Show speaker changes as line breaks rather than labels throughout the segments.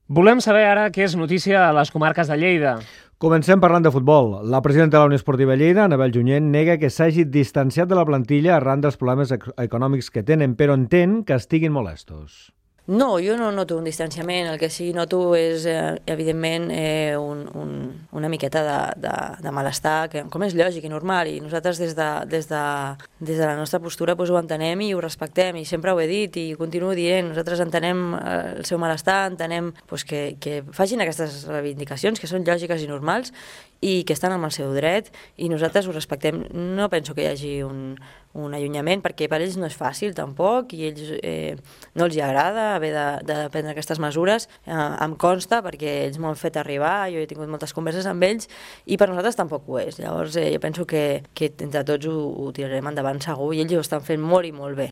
Volem saber ara què és notícia a les comarques de Lleida.
Comencem parlant de futbol. La presidenta de la Unió Esportiva Lleida, Anabel Junyent, nega que s'hagi distanciat de la plantilla arran dels problemes econòmics que tenen, però entén que estiguin molestos.
No, jo no noto un distanciament, el que sí noto és, evidentment, una miqueta de malestar, com és lògic i normal, i nosaltres des de la nostra postura ho entenem i ho respectem, i sempre ho he dit i ho continuo dient, nosaltres entenem el seu malestar, entenem que facin aquestes reivindicacions, que són lògiques i normals, i que estan amb el seu dret, i nosaltres ho respectem. No penso que hi hagi un allunyament, perquè per ells no és fàcil tampoc, i ells no els agrada haver de prendre aquestes mesures, em consta, perquè ells m'ho han fet arribar, jo he tingut moltes converses amb ells, i per nosaltres tampoc ho és. Llavors jo penso que entre tots ho tirarem endavant segur, i ells ho estan fent molt i molt bé.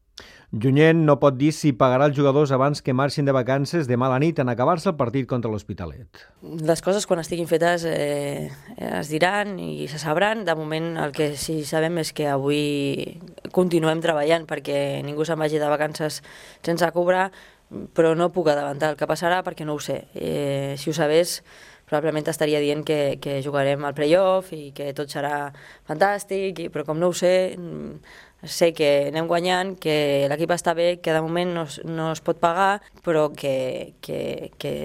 Junyent no pot dir si pagarà els jugadors abans que marxin de vacances demà a la nit en acabar-se el partit contra l'Hospitalet.
Les coses, quan estiguin fetes, es diran i se sabran. De moment el que sí sabem és que avui continuem treballant perquè ningú se'n vagi de vacances sense cobrar, però no puc adelantar el que passarà perquè no ho sé. Si ho sabés, probablement estaria dient que jugarem al play-off i que tot serà fantàstic, però com no ho sé que anem guanyant, que l'equip està bé, que de moment no es pot pagar, però que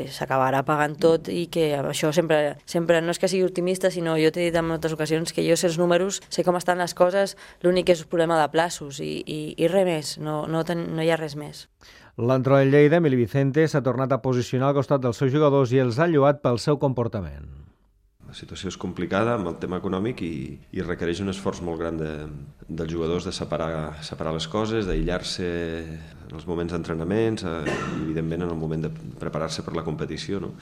s'acabarà pagant tot, i que això sempre no és que sigui optimista, sinó jo t'he dit en moltes ocasions que jo sé els números, sé com estan les coses, l'únic és un problema de plaços i res més, no hi ha res més.
L'entrenador del Lleida, Emili Vicente, s'ha tornat a posicionar al costat dels seus jugadors i els ha lloat pel seu comportament.
La situació és complicada amb el tema econòmic i requereix un esforç molt gran dels jugadors de separar les coses, d'aïllar-se en els moments d'entrenaments i evidentment en el moment de preparar-se per la competició. No?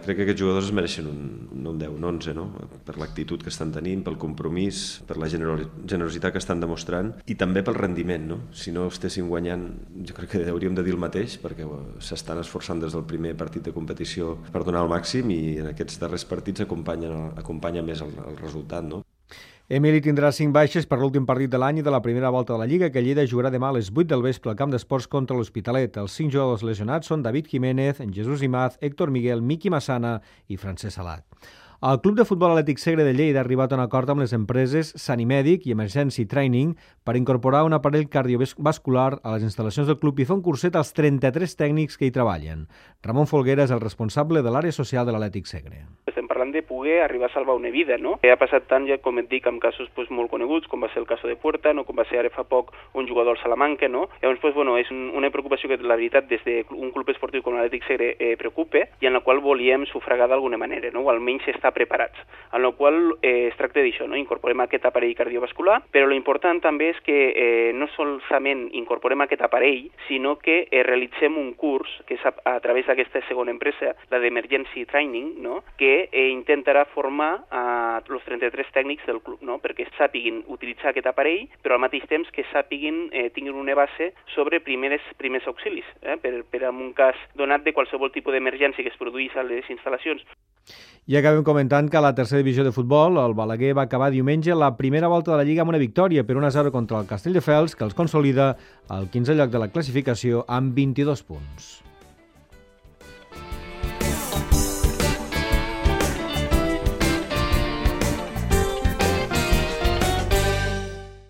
Crec que aquests jugadors es mereixen no un 10, un 11, no? Per l'actitud que estan tenint, pel compromís, per la generositat que estan demostrant i també pel rendiment. No? Si no estessin guanyant, jo crec que hauríem de dir el mateix, perquè s'estan esforçant des del primer partit de competició per donar el màxim, i en aquests darrers partits acompanya més el resultat, no?
Emili tindrà 5 baixes per l'últim partit de l'any i de la primera volta de la Lliga, que Lleida jugarà demà a les 8 del vespre al camp d'esports contra l'Hospitalet. Els 5 jugadors lesionats són David Jiménez, Jesús Imaz, Héctor Miguel, Miqui Massana i Francesc Salat. El Club de Futbol Atlètic Segre de Lleida ha arribat a un acord amb les empreses Sanimèdic i Emergency Training per incorporar un aparell cardiovascular a les instal·lacions del club i fer un curset als 33 tècnics que hi treballen. Ramon Folguera és el responsable de l'àrea social de l'Atlètic Segre.
Estem parlant de poder arribar a salvar una vida, no? Ha passat tant, ja com et dic, amb casos molt coneguts, com va ser el cas de Puerta, no? Com va ser ara fa poc un jugador al Salamanca, no? Llavors, és una preocupació que la veritat des d'un club esportiu com l'Atlètic Segre preocupa i en la qual volíem sufragar d'alguna manera, no? O almenys estar preparats. En la qual es tracta d'això, no? Incorporem aquest aparell cardiovascular, però l'important també és que no solament incorporem aquest aparell, sinó que realitzem un curs que és a través d'aquesta segona empresa, la d'Emergency Training, no? Que intentarà formar els 33 tècnics del club, no? Perquè sàpiguin utilitzar aquest aparell, però al mateix temps que tinguin una base sobre primers auxilis, per en un cas donat de qualsevol tipus d'emergència que es produís a les instal·lacions.
I acabem comentant que a la tercera divisió de futbol el Balaguer va acabar diumenge la primera volta de la Lliga amb una victòria per 1-0 contra el Castelldefels, que els consolida al 15è lloc de la classificació amb 22 punts.